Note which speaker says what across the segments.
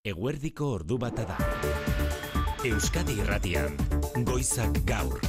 Speaker 1: Eguerdiko ordu bata da. Euskadi Irratian, Goizak Gaur.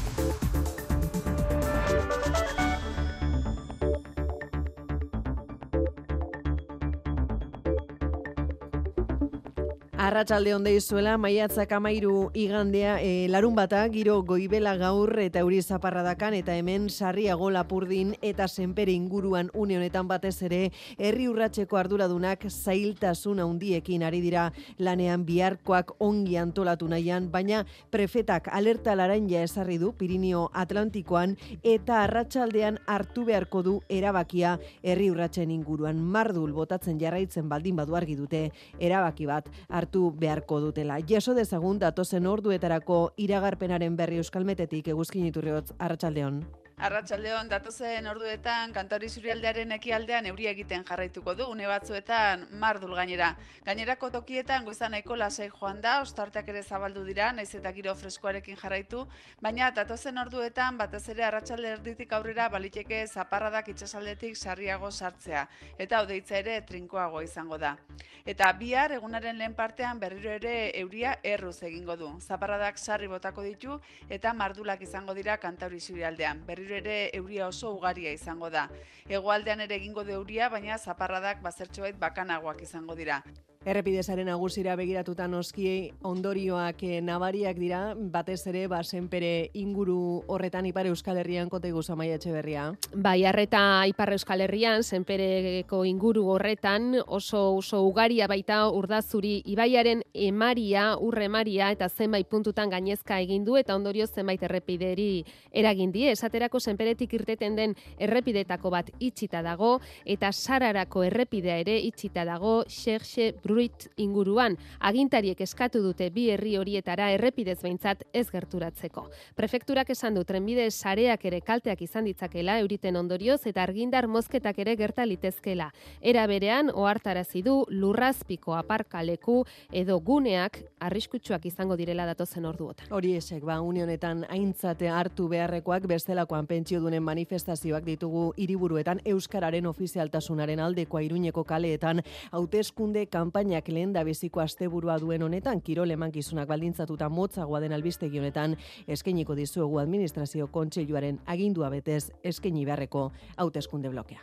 Speaker 2: Arratsalde on deizuela, maiatzak 13 igandea, larun bata, giro goibela gaur eta euri zaparradakan, eta hemen Sarriago, Lapurdin eta Senpere inguruan une honetan batez ere, herri urratseko arduradunak zailtasun handiekin ari dira lanean biharkoak ongi antolatu nahian, baina prefetak alerta laranja ezarri du Pirinio Atlantikoan eta arratsaldean hartu beharko du erabakia herri urratsen inguruan. Mardul botatzen jarraitzen baldin badu argi dute erabaki bat hartu beharko dutela. Jaso dezagun datozen orduetarako iragarpenaren berri Euskalmetetik. Eguzkin Iturriotz, arratsaldeon.
Speaker 3: Arratsaldeon, datozen orduetan Kantauri Isurialdearen ekialdean euria egiten jarraituko du, une batzuetan mardul gainera. Gainerako tokietan goizan nahiko lasai joan da, ostarteak ere zabaldu dira, naiz eta giro freskoarekin jarraitu, baina datozen orduetan batez ere arratsalde erditik aurrera baliteke zaparradak itsasaldetik Sarriago sartzea, eta hodeitza ere trinkoago izango da. Eta bihar egunaren lehen partean berriro ere euria erruz egingo du. Zaparradak sarri botako ditu eta mardulak izango dira Kantauri Isurialdean. Berriro ere euria oso ugaria izango da. Hegoaldean ere egingo du euria, baina zaparradak bazertxoait bakanagoak izango dira.
Speaker 2: Errepidezaren nagusira begiratuta noski ondorioak nabariak dira, batez ere Senpere inguru horretan Ipar Euskal Herrian kote guzu Amaia Etxeberria.
Speaker 4: Bai, arreta Ipar Euskal Herrian, Senpereko inguru horretan oso ugaria baita Urdazuri ibaiaren emaria, urre emaria eta zenbait puntutan gainezka egin du eta ondorioz zenbait errepideri eragin die. Esaterako Senperetik irteten den errepidetako bat itxita dago eta Sararako errepidea ere itxita dago Xerxe Bruit inguruan. Agintariek eskatu dute bi herri horietara errepidez behintzat ez gerturatzeko. Prefekturak esan du trenbide sareak ere kalteak izan ditzakela euriten ondorioz eta argindar mozketak ere gerta litezkela. Era berean ohartarazi du lurrazpiko aparkaleku edo guneak arriskutsuak izango direla datozen orduotan.
Speaker 2: Hori esek, une honetan aintzate hartu beharrekoak, bestelakoan pentsiodunen manifestazioak ditugu hiriburuetan, euskararen ofizialtasunaren aldekoa Iruñeko kaleetan, hauteskunde kanpainak lehendabiziko asteburua duen honetan, kirol emankizunak baldintzatuta motzagoa den albistegi honetan, eskainiko dizuegu administrazio kontseiluaren agindua betez eskaini beharreko hauteskunde blokea.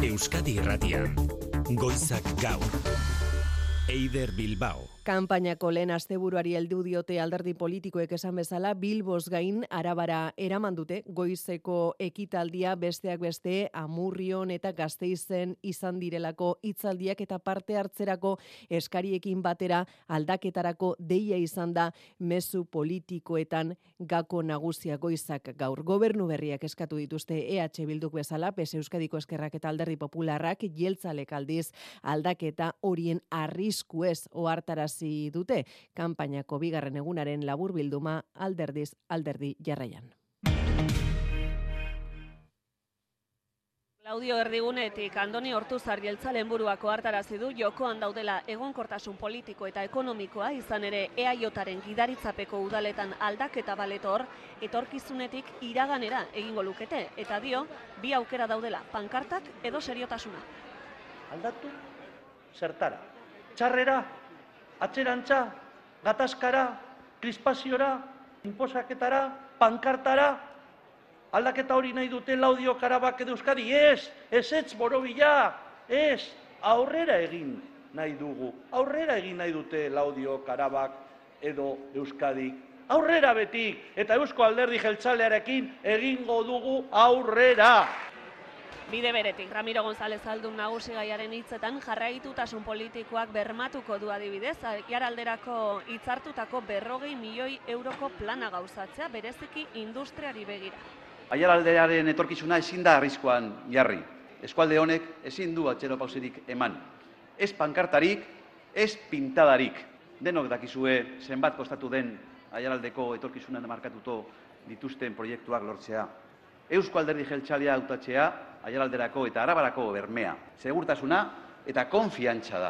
Speaker 1: Euskadi Irratian, Goizak Gaur. Eider Bilbao.
Speaker 2: Kanpainako lehen asteburuari heldu diote alderdi politikoek esan bezala, Bilboz gain Arabara eraman dute goizeko ekitaldia, besteak beste Amurrion eta Gasteizen izan direlako hitzaldiak eta parte hartzerako eskariekin batera aldaketarako deia izan da mezu politikoetan gako nagusia Goizak Gaur. Gobernu berriak eskatu dituzte EH Bilduk bezala, PSE Euskadiko Ezkerrak eta Alderdi Popularrak, jeltzalek aldiz aldaketa horien arriskuez ohartarazi dute. Kanpainako bigarren egunaren laburbilduma alderdiz alderdi jarraian.
Speaker 5: Claudio Erdigunetik Andoni Ortuzar jeltzalen buruako hartarazi du jokoan daudela egonkortasun politiko eta ekonomikoa, izan ere EAJaren gidaritzapeko udaletan aldaketa baletor etorkizunetik iraganera egingo lukete, eta dio bi aukera daudela, pankartak edo seriotasuna.
Speaker 6: Aldatu zertara, txarrera, atzerantza, gatazkara, krispaziora, inposaketara, pankartara, aldaketa hori nahi dute Laudio, Karabak edo Euskadi, ez borobila, aurrera egin nahi dugu, aurrera egin nahi dute Laudio, Karabak edo Euskadi, aurrera betik, eta Eusko Alderdi Jeltzalearekin egingo dugu aurrera.
Speaker 5: Bide beretik, Ramiro González Aldun nagusi gaiaren hitzetan jarraitutasun politikoak bermatuko du adibidez, jaralderako hitzartutako 40 milioi euroko plana gauzatzea, bereziki industriari begira.
Speaker 7: Aiaraldearen etorkizuna ezin da arriskuan jarri. Eskualde honek ezin du atzerapausirik eman. Ez pankartarik, ez pintadarik. Denok dakizue zenbat kostatu den Aiaraldeko etorkizunan markatuto dituzten proiektuak lortzea. Eusko Alderdi Jeltzalea hautatzea, Aiaralderako eta Arabarako bermea, segurtasuna eta konfiantza da.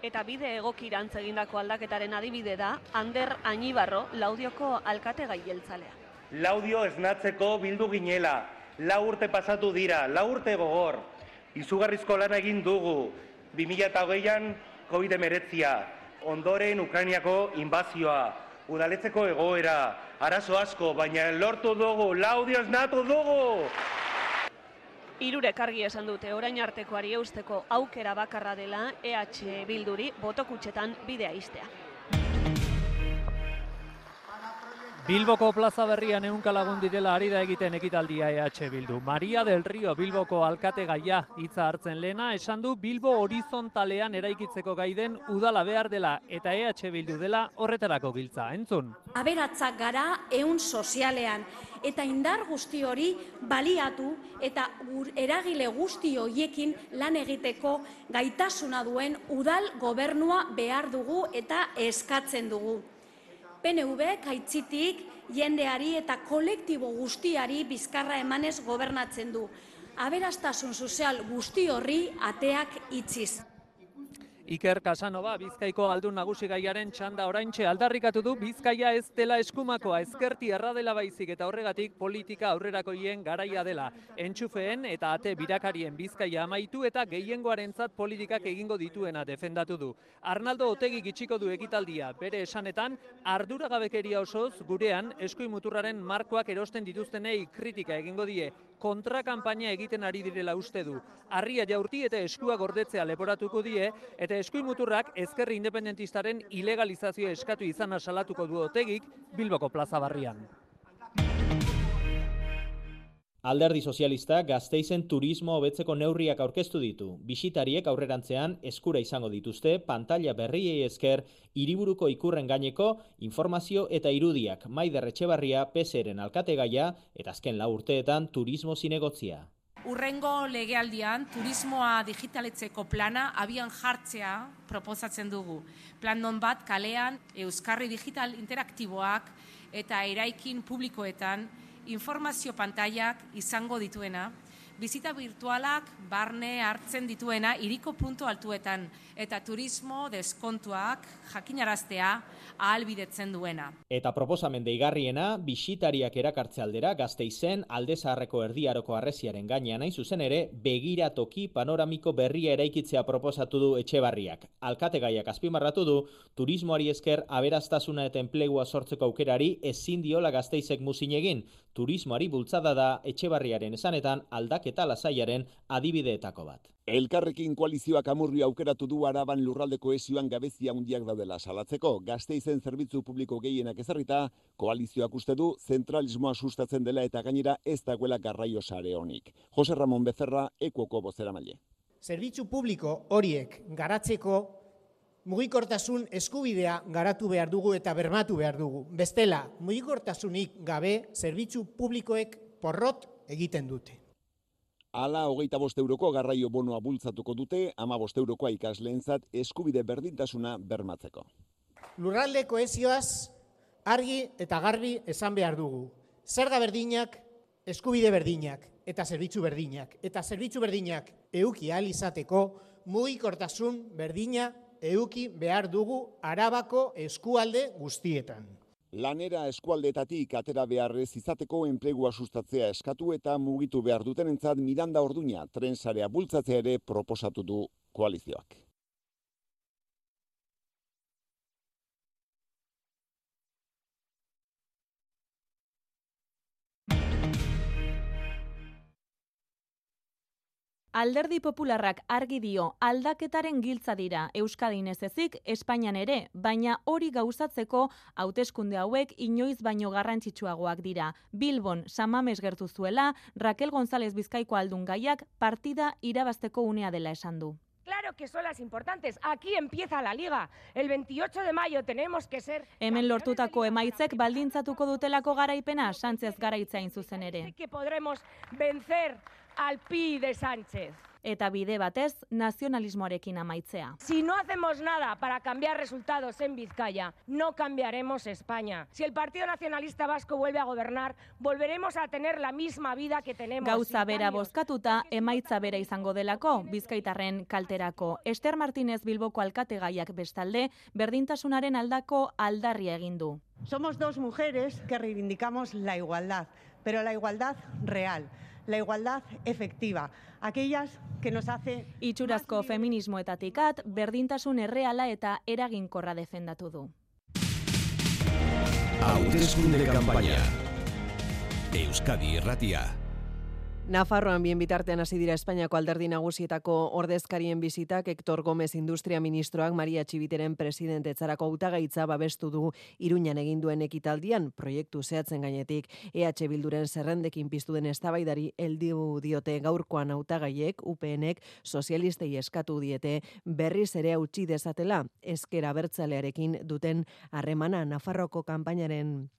Speaker 5: Eta bide egokirantz egindako aldaketaren adibide da Ander Añibarro, Laudioko alkategai jeltzalea.
Speaker 8: Laudio esnatzeko bildu ginela, 4 urte pasatu dira, 4 urte gogor. Izugarrizko lana egin dugu, 2020an COVID-19, ondoren Ukrainiako inbazioa, udaletzeko egoera, arazo asko, baina lortu dugu, laudioz natu dugu!
Speaker 5: Hirurek argi esan dute orain artekoari eusteko aukera bakarra dela EH Bilduri botokutxetan bidea ixtea.
Speaker 9: Bilboko plaza berrian 100 lagun direla ari da egiten ekitaldia EH Bildu. Maria del Rio Bilboko alkategaia hitza hartzen lehena esan du Bilbo horizontalean eraikitzeko gai den udala behar dela eta EH Bildu dela horretarako giltza. Entzun.
Speaker 10: Aberatzak gara ehun sozialean eta indar guzti hori baliatu eta eragile guzti horiekin lan egiteko gaitasuna duen udal gobernua behar dugu eta eskatzen dugu. PNV aitzitik jendeari eta kolektibo guztiari bizkarra emanez gobernatzen du. Aberastasun sozial guzti horri ateak itziz.
Speaker 9: Iker Casanova, Bizkaiko aldun nagusi gaiaren txanda oraintxe aldarrikatu du Bizkaia ez dela eskumakoa, ezkerti erra dela baizik eta horregatik politika aurrerakoien garaia dela. Entxufeen eta ate birakarien Bizkaia amaitu eta gehiengoarentzat politikak egingo dituena defendatu du. Arnaldo Otegik itxiko du ekitaldia, bere esanetan arduragabekeria osoz gurean eskuimuturraren markoak erosten dituztenei kritika egingo die. Kontrakanpaina egiten ari direla uste du. Harria jaurti eta eskua gordetzea leporatuko die eta eskuimuturrak ezkerri independentistaren ilegalizazioa eskatu izana salatuko du Otegik Bilboko plaza barrian.
Speaker 11: Alderdi Sozialistak Gasteizen turismo hobetzeko neurriak aurkeztu ditu. Bisitariek aurrerantzean eskura izango dituzte pantalla berriei esker hiriburuko ikurren gaineko informazio eta irudiak. Maider Etxebarria PSeren alkategaia eta azken 4 urteetan turismo zinegotzia.
Speaker 12: Urrengo legealdian turismoa digitaletzeko plana abian jartzea proposatzen dugu. Plan non bat kalean euskarri digital interaktiboak eta eraikin publikoetan informazio pantailak izango dituena, bizita virtualak barne hartzen dituena hiriko puntu altuetan eta turismo deskontuak jakinaraztea ahalbidetzen duena.
Speaker 11: Eta proposamen deigarriena, bisitariak erakartze aldera Gasteizen Alde Zaharreko erdiaroko harresiaren gainean hain zuzen ere begiratoki panoramiko berria eraikitzea proposatu du Etxebarriak. Alkategaiak azpimarratu du turismoari esker aberastasuna eta enplegua sortzeko aukerari ezin diola Gasteizek muzin egin. Turismoari bultzada da Etxebarriaren esanetan aldaketa lasaiaren adibideetako bat.
Speaker 13: Elkarrekin koalizioak Amurrio aukeratu du Araban lurralde kohesioan gabezia handiak daudela salatzeko. Gasteizen zerbitzu publiko gehienak ezarrita, koalizioak uste du zentralismoa sustatzen dela eta gainera ez dagoela garraio sare honik. Jose Ramon Becerra, Ekuoko bozeramaile.
Speaker 14: Zerbitzu publiko horiek garatzeko mugikortasun eskubidea garatu behar dugu eta bermatu behar dugu. Bestela, mugikortasunik gabe zerbitzu publikoek porrot egiten dute.
Speaker 13: Hala 25 euroko garraio bonoa bultzatuko dute, 15 eurokoa ikasleentzat eskubide berdintasuna bermatzeko.
Speaker 14: Lurralde kohesioaz argi eta garbi esan behar dugu. Zerga berdinak, eskubide berdinak eta zerbitzu berdinak. Eta zerbitzu berdinak eduki ahal izateko mugikortasun berdina eduki behar dugu Arabako eskualde guztietan.
Speaker 13: Lanera eskualdeetatik atera beharrez izateko enplegua sustatzea eskatu eta mugitu behar dutenentzat Miranda Orduña trensarea bultzatzea ere proposatu du koalizioak.
Speaker 15: Alderdi Popularrak argi dio aldaketaren giltza dira Euskadin ez ezik Espainian ere, baina hori gauzatzeko hauteskunde hauek inoiz baino garrantzitsuagoak dira. Bilbon Samames gertu zuela, Raquel González Bizkaiko aldun gaiak partida irabazteko unea dela esan du.
Speaker 16: Claro que son las importantes. Aquí empieza la liga. El 28 de mayo tenemos que ser...
Speaker 15: Hemen lortutako emaitzek baldintzatuko dutelako garaipena, Sánchez garaitzain zuzen ere.
Speaker 16: Que podremos vencer al Pi de Sánchez.
Speaker 15: Eta bide batez, nazionalismoarekin amaitzea.
Speaker 16: Si no hacemos nada para cambiar resultados en Vizcaya, no cambiaremos España. Si el Partido Nacionalista Vasco vuelve a gobernar, volveremos a tener la misma vida que tenemos.
Speaker 15: Gauza bera bozkatuta, emaitza bera izango delako, bizkaitarren kalterako. Ester Martínez Bilboko alkategaiak bestalde, berdintasunaren aldako aldarria egin du.
Speaker 17: Somos dos mujeres que reivindicamos la igualdad, pero la igualdad real. la igualdad efectiva, aquellas que nos hace...
Speaker 15: Itxurazko feminismoetatik at, berdintasun erreala eta eraginkorra defendatu du.
Speaker 1: Hauteskunde kanpaina. Euskadi Irratia.
Speaker 2: Nafarroan bien bitartean hasi dira Espainiako alderdi nagusietako ordezkarien bizitak. Hector Gómez Industria Ministroak Maria Txibiteren presidentetzarako hautagaitza babestu du Iruñan egin duen ekitaldian, proiektu zehatzen gainetik EH Bilduren zerrendekin piztu den eztabaidari heldu diote gaurkoan hautagaiek. UPNek sozialistei eskatu diete berriz ere hautsi dezatela ezker abertzalearekin duten harremana. Nafarroko kanpainaren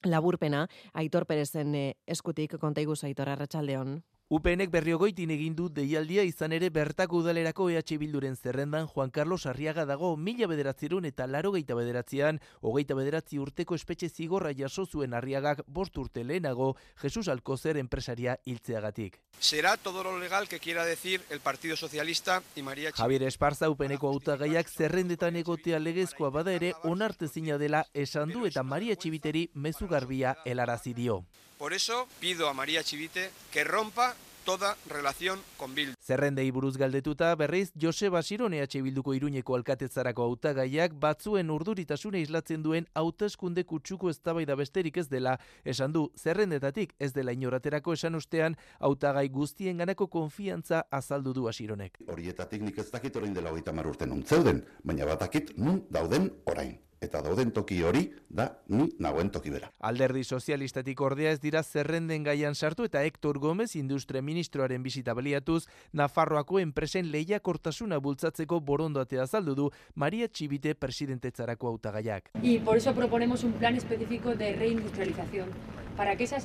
Speaker 2: laburpena Aitor Perezen eskutik kontaiguzu, Aitor, arratsaldeon.
Speaker 18: UPNek Berriogoitin egin du deialdia, izan ere bertako udalerako EH Bilduren zerrendan Juan Carlos Arriaga dago. 1989an 29 urteko espetxe zigorra jaso zuen Arriagak 5 urte lehenago Jesus Alcocer enpresaria hiltzeagatik.
Speaker 19: Será todo lo legal que quiera decir el Partido Socialista y María Txibite.
Speaker 18: Javier Esparza UPNeko hautagaiak zerrendetan egotea legezkoa bada ere onartezina dela esan du eta Maria Txibiteri mezu garbia helarazi dio.
Speaker 19: Por eso pido a María Txibite que rompa toda relación con Bildu.
Speaker 18: Zerrendei buruz galdetuta berriz Joseba Siron EH Bilduko Iruñeko alkatetzarako hautagaiak batzuen urduritasuna islatzen duen hauteskunde kutsuko eztabaida besterik ez dela esan du. Zerrendetatik ez dela inoraterako esan ostean hautagai guztienganako konfiantza azaldu du Sironek.
Speaker 20: Horietatik nik ez dakit orain dela 30 urte nun zeuden, baina batakit nun dauden orain. Eta dauden toki hori da ni nagoen toki bera.
Speaker 18: Alderdi sozialistatik ordea ez dira zerrenden gaian sartu eta Hector Gómez Industria Ministroaren bisita baliatuz Nafarroako enpresen lehiakortasuna bultzatzeko borondatea azaldu du Maria Txibite presidentetzarako hautagaiak.
Speaker 21: Y por eso proponemos un plan específico de reindustrialización.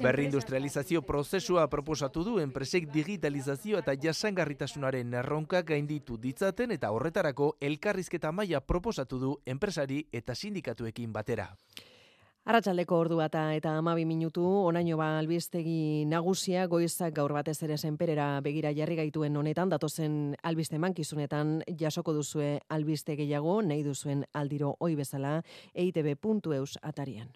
Speaker 18: Berrindustrializazio prozesua proposatu du enpresek digitalizazio eta jasangarritasunaren erronka gainditu ditzaten eta horretarako elkarrizketa maila proposatu du enpresari eta sindikatuekin batera.
Speaker 2: Arratsaldeko ordu bata eta 12 minutu, onaino albistegi nagusia goizak gaur batez ere senperera begira jarri gaituen honetan, datozen albiste mankizunetan jasoko duzue albiste gehiago, nahi duzuen aldiro ohi bezala, eitb.eus atarian.